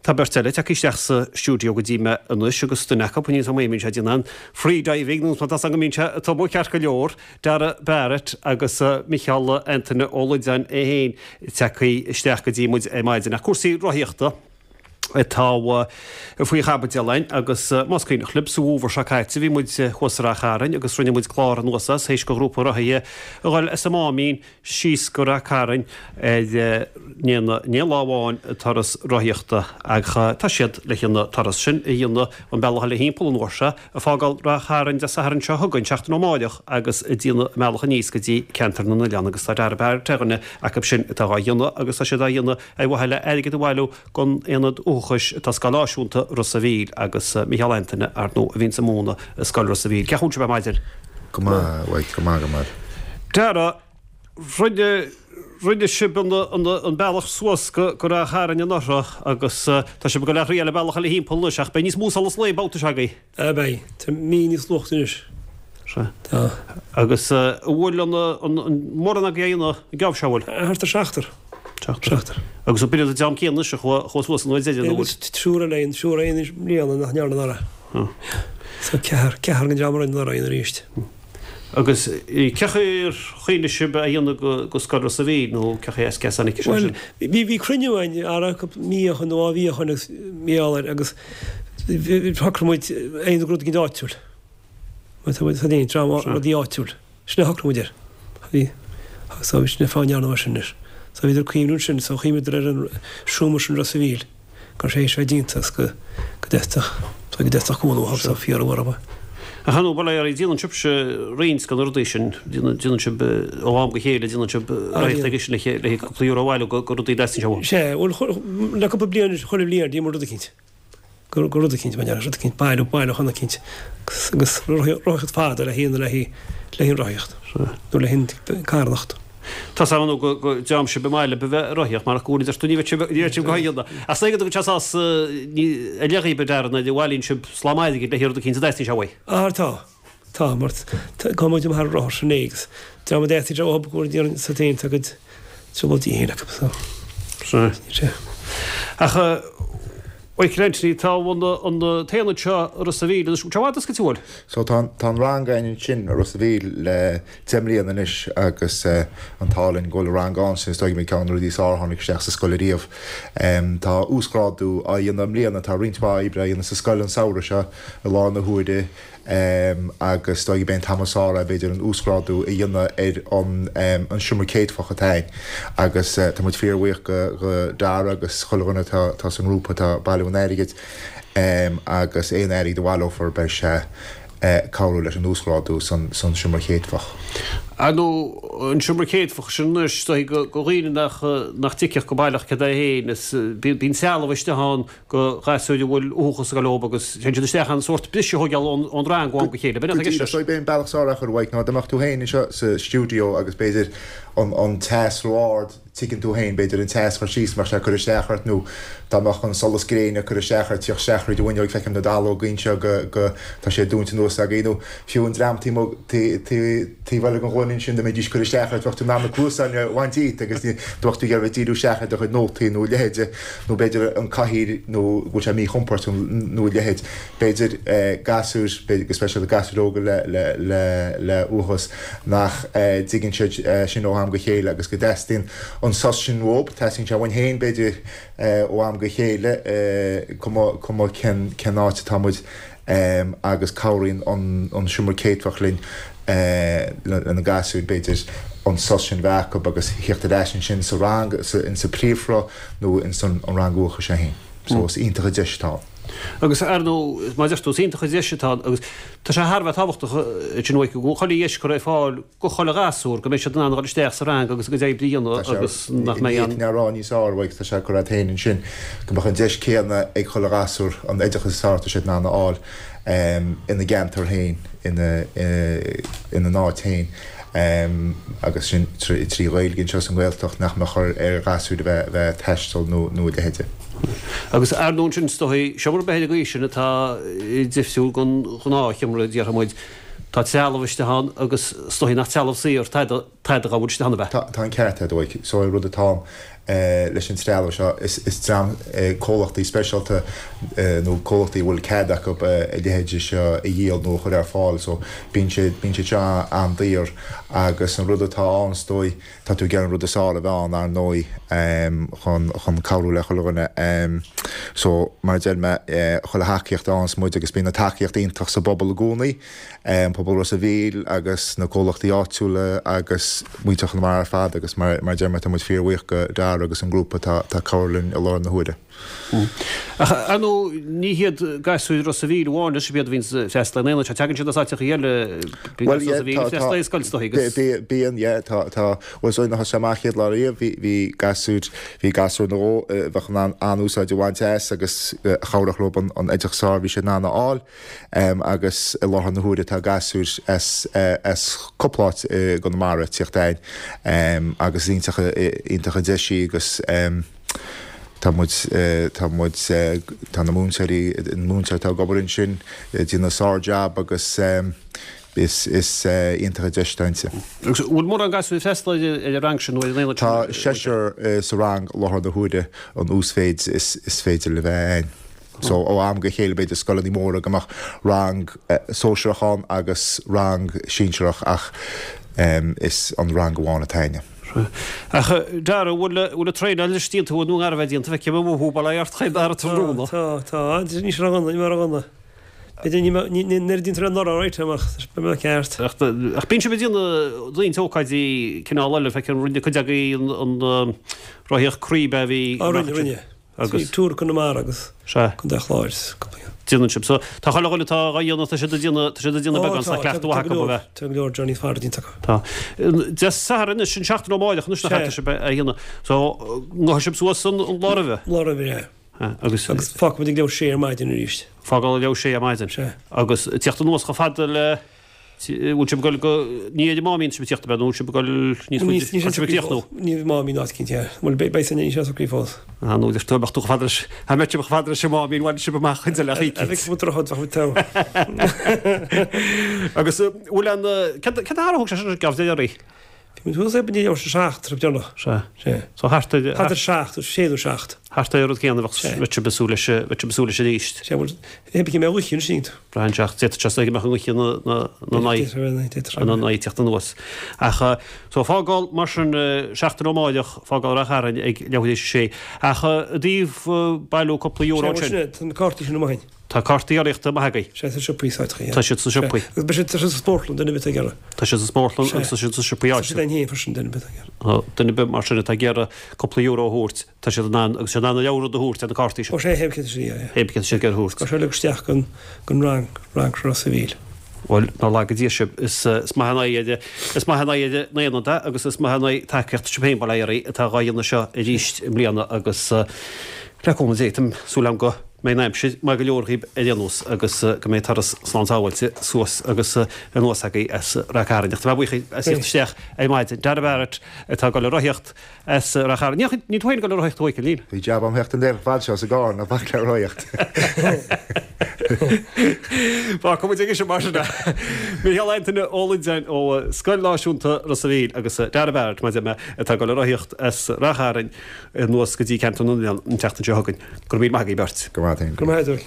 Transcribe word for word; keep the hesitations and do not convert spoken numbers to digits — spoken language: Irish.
Tá beirt eile tagtha isteach sa stiúideo go dtí mé anois agus duine acu níl a fhios agam an mbíonn sé ag déanamh an free diving nó tá go mbíonn sé ag tumadh ceart go leor, Dara Barrett agus Micheál Antaine Ó Loideáin é féin tagtha isteach go dtí muid ar maidin. Ach cúrsaí rothaíochta atá faoi chaibidil againn agus más cuimhneach libh sa bhfómhar seo caite bhí muid thuas i Ráth Chairn agus rinne muid clár anuas as théis go ghrúpa rothaithe a dhul as an Máimín síos go Ráth Cairn ar ní lá amháin turas rothaíochta ach tá siad le an turas sin a dhéanamh an bealach eile thimpeall an uair seo ag fágáil Ráth Chairn Dé Sathairn seo chugainn seachtain ó amárach agus ag déanamh an bealach aníos go dtí ceantar na n-oileán agus tá Dara Barrett ar dhuine acu sin atá á dhéanamh agus tá siad á dhéanamh ar mhaithe le airgead a bhailiú don aonad uathachais atá Scoil Náisiúnta Ros a' Mhíl agus Micheál Antaine ar ndóigh a bhíonn ag múineadh i Scoil Ros a' Mhíl. Cén chaoi a bhfuil sibh ar maidin? Go maith, go maith go maith. Dara rinne rinne sibh an, an, an bealach suas go go Ráth Chairn anuraidh agus uh, tá sibh ag dul a thriail an bealach eile thimpeall anois ach beidh níos mó solas lae babhta seo agaibh. A beidh, tá mí níos luaithe anois. Se. Tá. Agus uh, bhfuil an, an, an mórán agaibh an geábh seo bhfuil? Thart ar seachtar. Seachtar. Agus an b'in an dream céanna a chuaigh suas an uair deireanach nó bhfuil? Triúr eile aon, triúr aon bliana nach ndearna anuraidh. So ceathrar, ceathrar den dream a rinne anuraidh arís. Agus cén chaoi ar chuimhnigh sibh a dhéanamh go, go Scoil Ros a' Mhíl nó cén chaoi as tháinig sé Well, sin? bhí bhí cruinniú againn ara mí ó shin nó dhá mhí ó shin agus mí eile agus shocraigh muid aon rud éigin áitiúil. Tá muid tá dream rudaí áitiúil. Sin a shocraigh muid air. Bhí so bhí sin fá ndearna mar sin anois. So bhíodar ag cuimhniú ansin so chuimhníodar ar an seomra sin Ros a' Mhíl. Gur sé sé déanta agus go go dteastaigh so go dteastaigh cúnamh so fíor uair Ach an bhfuil ar déanann sibhse roinnt de na rudaí sin déanann sibh ó am go chéile déanann sibh rothaíocht aige sin le le cúpla euro a bhailiú go go rudaí dteastaíonn sé uaim. Sé, bhuel le cúpla bliain chuile bhliain déanaimid rud eicínt. Go go rud eicínt mar rud eicínt bailiú bailiúchán eicínt agus agus rothaíocht fada le haon le le haon rothaíocht nó le haon carthanacht. Tá sam nó go go dream sibh i mbaile be bheith rothaíocht mar go bhfuil tú ní bheith sibh ní bheith sibh go haon. Ach sa go teas as ní a leagaí be dearna de bhailíonn sibh slám airgid le rud eicínt a dteastaíonn sé uaidh. Á tá tá mar tá muid thar rothar sin agus dream a dteastaíonn sé uathu go bhfuil sa féin tá go trioblóidí féin acu so. Se. Ach Michael Anthony tá an an t-aonad seo Ros a' Mhíl agus sé bhfad go bhfuil. So tá tá an rang againn ansin i Ros a' Mhíl le deich mbliana anois agus uh, an t-ádh linn go bhfuil rang ann sin is dóigh ceann rudaí is fearr a tháinig isteach sa scoil ariamh. Um, tá uasghrádú á dhéanamh i mbliana tá roinnt mhaith oibre á dhéanamh sa scoil an samhradh seo i láthair na huaire um, agus dóigh b'é an t-am is fearr b'fhéidir an uasghrádú a dhéanamh ar an, um, an seomra céadfach atá ann. agus uh, tá muid fíorbhuíoch go, go Dara agus chuile dhuine tá, tá san ngrúpa atá ag bailiú an airgid um, agus aon airgead a bhaileofar beidh sé uh, cabhrú leis an uasghrádú san, san seomra céadfach. Ar nó an seomra céadfach sin anois go go dhaoine nach nach dtuigfeadh go baileach cad é féin is bíonn sealbh isteach ann go ghasúir a bhfuil uathachas go leob agus téann siad isteach an sórt briseadh a thógáil ón ón rang ó am go chéile. B'in atá i gceist leis. So b'é an bealach is fearr a chur uaidh ná dá mbeadh tú féin anseo sa stiúideo agus b'fhéidir an, an teas ró-ard tuigeann tú féin b'fhéidir an teas chur síos mar sé cur isteach ort nó dá mbeadh an solas gréine cur isteach ort teacht isteach thríd an bhfuinneog feicim na dallóga anseo go go tá sé dúnta anuas againn nó fiú an dream taobh eile den ghloine ansin dá mbeidís cur isteach ort bheadh tú in ann na cluasáin a bhaint díot agus ní bheadh tú ag iarraidh díriú isteach ar do chuid nótaí nó a leithéide nó b'fhéidir an cathaoir nó go bhfuil sé míchompordach nó a leithéid b'fhéidir gasúir b'fhéidir go speisialta gasúir óga le le le le uathachas nach dtuigeann siad sin ó am go chéile agus go dteastaíonn an sos sin uathu teastaíonn sé uainn féin b'fhéidir ó am go chéile cuma cuma cén cén áit atá muid um, agus cabhraíonn an, an seomra céadfach linn uh, le na gasúir b'fhéidir an sos sin bheith acu agus theacht ar ais ansin sa rang sa, in sa príomhshruth nó in san an rang uathachais sé féin. So is iontach an deis atá. Agus ar nó má deir tú is iontach an deis atá agus tá sé thar a bheith tábhachtach sin uaidh go chuile dheis cur ar fáil go chuile ghasúr go mbeidh siad in ann dul isteach sa rang agus go dtí oibre a dhéanamh agus nach mbeidh an rá níos fearr uaidh tá sé cur féin ansin go mbeadh an deis céanna ag chuile ghasúr an oideachas is fearr atá siad in ann a fháil um, ina gceantar féin ina ina n-áit féin. Um, agus sin trí, trí Ghaeilge anseo sa nGaeltacht nach mbeadh ar ar ghasúir a bheith bheith taisteal nó nó a leithéide. Agus ar ndóigh sin is dóigh seomra b'fhéidir go sin atá difriúil gon ghnáthsheomra déarfaidh muid Tá trealamh isteach ann agus is dóigh nach trealamh saor tada tada a bhfuil isteach ann ab ea? Tá tá an ceart agat a Mhaidhc. So an rud atá ann leis an trealamh seo is is dream comhlachtaí speisialta nó comhlachtaí a bhfuil cead acu a leithéidí seo a dhíol nó a chur ar fáil so bíonn sé bíonn sé seo an-daor agus an rud atá ann is dóigh tá tú ag iarraidh an rud is fearr a bheith ann ar ndóigh chun chun cabhrú le chuile dhuine so mar a deir mé chuile thacaíocht a fhaigheanns muid agus bíonn an tacaíocht iontach sa bpobal i gcónaí an pobal Ros a' Mhíl agus na comhlachtaí áitiúla agus muintir Chonamara ar fad agus mar mar a deir mé tá muid fíorbhuíoch go Dara agus an grúpa atá ag cabhrú linn i láthair na huaire. Ach ar ndóigh ní hiad gasúir Ros a' Mhíl amháin is iad a bhíonn ag freastal ar an aonad seo, tagann siad as áiteacha eile, bíonn Ros a' Mhíl ag freastal ar scoil is dóigh agus. Bíonn, yeah, tá, tá, bhuel so nuair a thosaigh sé amach chéad lá riamh bhí, bhí gasúir, bhí gasúir nó dhó a bheadh in ann an-úsáid a bhaint as agus a chabhródh leo an oideachas is fearr a bhí siad in ann a fháil. Agus i láthair na huaire tá gasúir as as cúpla áit i gConamara ag tíocht a'ainn agus is iontach iontach an deis í agus tá muid tá muid tá na múinteoirí an múinteoir atá ag obair ansin ag déanamh sár-jab agus is is iontach an deis atá inti. Agus bhfuil mórán gasúir ag freastal ar an rang sin nó ar an aonad sin? Tá seisear sa rang i láthair na huaire an uasmhéid is is féidir le bheith a'ainn. So ó am go chéile b'fhéidir scoileanna móra go mbeadh rang sóisearach ann agus rang sinsearach ach is an rang amháin atá a'inne. Ach Dara, bhfuil bhfuil an traenáil anois déanta agat nó gar a bheith déanta, feicim amuigh thú bail ó Dhia ort chaon dara tráthnóna. Tá, tá, ní sé roghanna, ní roghanna. B'fhéidir ní ní ní nuair a déantar an anuraidh right amach, beidh mé ceart. Ach ach bíonn sibh ag déanamh roinnt ócáidí cineál eile, feicim rinne cuid agaibh an an rothaíocht croí a bhí. Á rinne, rinne. Agus. Tour Conamara agus. Sea. Contae Chláir is cúpla ceann. Déanann sibh. So, tá chuile dhuine atá dhá dhéanamh, tá siad ag déanamh, tá siad ag déanamh beagán, tá cleachtadh mhaith acu a bheith. Tá go leor journey fada déanta acu. Tá. Dé Sathairn anois, an seachtain ó amárach anois nach ea, tá sibh á dhéanamh. So, ngabhfaidh sibh suas an lá roimhe? Lá roimhe, yeah. Agus. Agus fágfaidh muid ag leathuair tar éis a sé ar maidin arís. Fágáil ag leathuair tar éis a sé ar maidin. Sea. Agus tíocht anuas chomh fada le. Bhfuil sibh ag dul go, ní ar an Máimín sibh ag tíocht ab ea nó bhfuil sibh ag dul níos faide, tá sibh ag tíocht nó? Ní Máimín áit cinnte, bhuel beidh san ní sé socraithe fós. Ah nó deir tú beadh tú chomh fada leis, dá mbeadh sibh chomh fada leis an Máimín bhain sibh amach chuid eile choíche. Bheadh muid droichead bheadh muid togha. Agus bhfuil an, cad cad a thug sé sin gabh de dhearaí? Bhí muid thuas ag leathuair tar éis a seacht tráth deireanach. Sea. Sea. So thart ar. Thart ar seacht, sé nó seacht. Thart ar an rud céanna bheadh bheadh sibh ag súil leis, bheadh sibh ag súil leis arís. Sea, bhuel, hé bhí mé oíche ansin. Braitheann sé ach d'fhéadfadh sé go mbeadh an oíche na na na n-aghaidh. D'fhéadfadh. Na n-aghaidh teacht anuas. Ach so fágáil mar sin seachtain ó amárach, fágáil Ráth Chairn ag leathuair tar éis a sé. Ach i dtaobh bailiú cúpla euro Sea, bhuel ansin. sin é, tá na cártaí sin amuigh againn. Tá cártaí urraíochta maith agaibh. Sea, sna siopaí sáiteacha, yeah. Tá siad sna siopaí. Agus beidh siad, tá siad sa spórtlann, duine ar bith atá ag iarraidh. Tá siad sa spórtlann agus tá siad sna siopaí Tá áitiúla. siad againn féin freisin, duine ar bith atá ag iarraidh. Tá duine ar bith mar sin atá ag iarraidh cúpla euro a thabhairt, tá siad in ann, agus siad in ann an leabhar rud a thabhairt ar na cártaí sin. Ó sea, hé cé tá siad ag iarraidh, yeah. Hé cé tá siad ag iarraidh a thabhairt. Tá sé uilig isteach don, don rang, rang Ros a' Mhíl. Bhuel, nár laga Dia sibh, is, is maith an aghaidh ar, is maith an aghaidh ar an aonad é agus is maith an aghaidh tacaíocht sibh féin, bail ó Dhia oraibh, atá dhá dhéanamh seo arís i mbliana agus le cúnamh Dé, tá súil agam go mbeidh an aimsir maith go leor dhaoibh ar aon nós agus go mbeidh turas slán sábháilte suas agus anuas agaibh as Ráth Cairn. Ach tá mé buíoch as theacht isteach ar maidin. Dara Barrett atá ag dul ag rothaíocht as Ráth Chairn. Níl níl tú féin ag dul ag rothaíocht a Mhichíl, níl? Bhí jab a'm theacht an deireadh fad seo sa gcarr ná bac le rothaíocht. Fágfaidh muid aige sin mar sin é. Micheál Antaine Ó Loideáin ó Scoil Náisiúnta Ros a' Mhíl agus Dara Barrett, mar a deir mé, atá ag dul ag rothaíocht as Ráth Chairn anuas go dtí Ceantar na nOileán an tseachtain seo chugainn. Go raibh míle maith agaibh beirt. Go raibh maith agat. Go raibh maith agat.